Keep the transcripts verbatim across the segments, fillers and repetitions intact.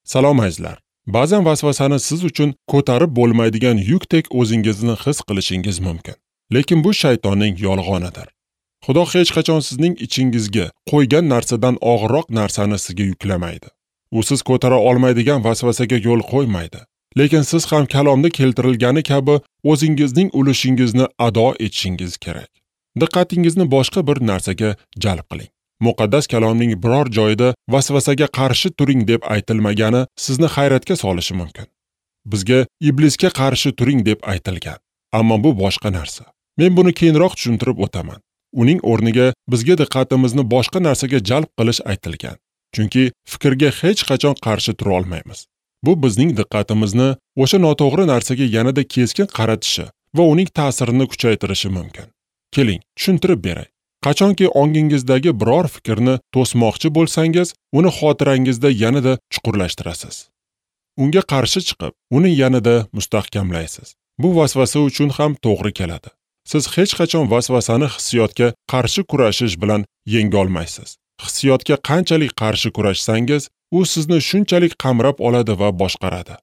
Salom azizlar. Ba'zan vasvasani siz uchun ko'tarib bo'lmaydigan yukdek o'zingizni his qilishingiz mumkin. Lekin bu shaytonning yolg'onidir. Xudo hech qachon sizning ichingizga qo'ygan narsadan og'irroq narsani sizga yuklamaydi. U siz ko'tara olmaydigan vasvasaga yo'l qo'ymaydi. Lekin siz ham kalomda keltirilgani kabi o'zingizning ulushingizni ado etishingiz kerak. Diqqatingizni boshqa bir narsaga jalb qiling. Muqaddas kalomning biror joyida vasvasaga qarshi turing deb aytilmagani sizni hayratga solishi mumkin. Bizga iblisga qarshi turing deb aytilgan. Ammo bu boshqa narsa. Men buni keyinroq tushuntirib o'taman. Uning o'rniga bizga diqqatimizni boshqa narsaga jalb qilish aytilgan. Chunki fikrga hech qachon qarshi tura olmaymiz. Bu bizning diqqatimizni o'sha noto'g'ri narsaga yanada keskin qaratishi va uning ta'sirini kuchaytirishi mumkin. Keling, tushuntirib beray. Qachonki ongingizdagi biror fikrni to'smoqchi bo'lsangiz, uni xotirangizda yanada chuqurlashtirasiz. Unga qarshi chiqib, uni yanada mustahkamlaysiz. Bu vasvasa uchun ham to'g'ri keladi. Siz hech qachon vasvasani hissiyotga qarshi kurashish bilan yenga olmaysiz. Hissiyotga qanchalik qarshi kurashsangiz, u sizni shunchalik qamrab oladi va boshqaradi.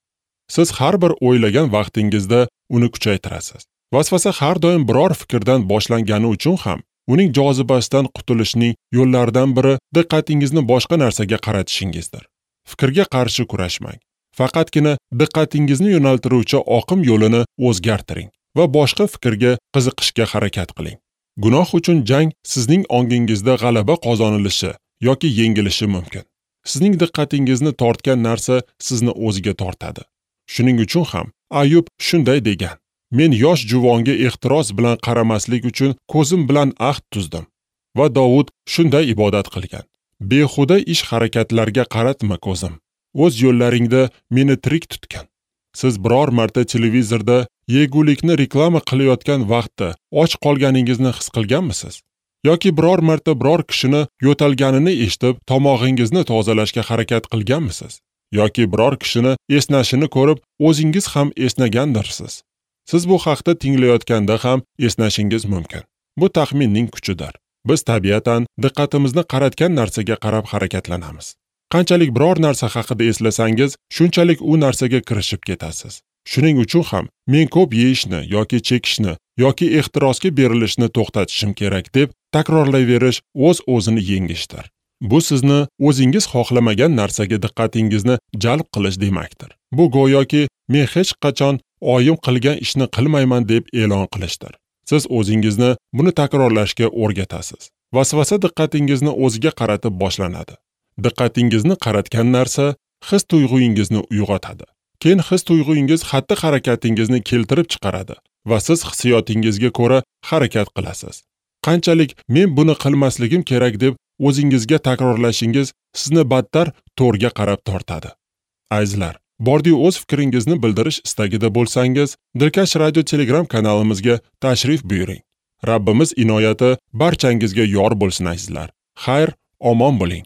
Siz har bir o'ylagan vaqtingizda uni kuchaytirasiz. Vasvasa har doim biror fikrdan boshlangani uchun ham uning jozibasidan qutulishning yo'llaridan biri diqqatingizni boshqa narsaga qaratishingizdir. Fikrga qarshi kurashmang. Faqatgina diqqatingizni yo'naltiruvchi oqim yo'lini o'zgartiring va boshqa fikrga qiziqishga harakat qiling. Gunoh uchun jang sizning ongingizda g'alaba qozonilishi yoki yengilishi mumkin. Sizning diqqatingizni tortgan narsa sizni o'ziga tortadi. Shuning uchun ham Ayub shunday degan: Men yosh juvonga ehtiros bilan qaramaslik uchun ko'zim bilan ahd tuzdim. Va Davud shunday ibodat qilgan: Behuda ish harakatlarga qaratma ko'zim. O'z yo'llaringda meni tirik tutgan. Siz biror marta televizorda yegulikni reklama qilayotgan vaqtda och qolganingizni his qilganmisiz? Yoki biror marta biror kishini yo'talganini eshitib, tomog'ingizni tozalashga harakat qilganmisiz? Yoki biror kishini esnashini ko'rib, o'zingiz ham esnagandirsiz? Siz bu haqda tinglayotganda ham esnashingiz mumkin. Bu taxminning kuchidir. Biz tabiatan diqqatimizni qaratgan narsaga qarab harakatlanamiz. Qanchalik biror narsa haqida eslasangiz, shunchalik u narsaga kirishib ketasiz. Shuning uchun ham men ko'p yeyishni yoki chekishni yoki ehtirosga berilishni to'xtatishim kerak deb takrorlayverish o'z-o'zini yengishdir. Bu sizni o'zingiz xohlamagan narsaga diqqatingizni jalb qilish demakdir. Bu go'yoki men hech qachon oyim qilgan ishni qilmayman deb e'lon qilishdir. Siz o'zingizni buni takrorlashga o'rgatasiz. Vasvasa diqqatingizni o'ziga qaratib boshlanadi. Diqqatingizni qaratgan narsa his tuyg'ungizni uyg'otadi. Keyin his tuyg'ungiz xatti-harakatingizni keltirib chiqaradi va siz hissiyotingizga ko'ra harakat qilasiz. Qanchalik men buni qilmasligim kerak deb o'zingizga takrorlashingiz sizni battar to'rga qarab tortadi. Azizlar, bordiyu o'z fikringizni bildirish istagida bo'lsangiz, Dilkash Radio Telegram kanalimizga tashrif buyuring. Rabbimiz inoyati barchangizga yor bo'lsin azizlar. Xayr, omon bo'ling.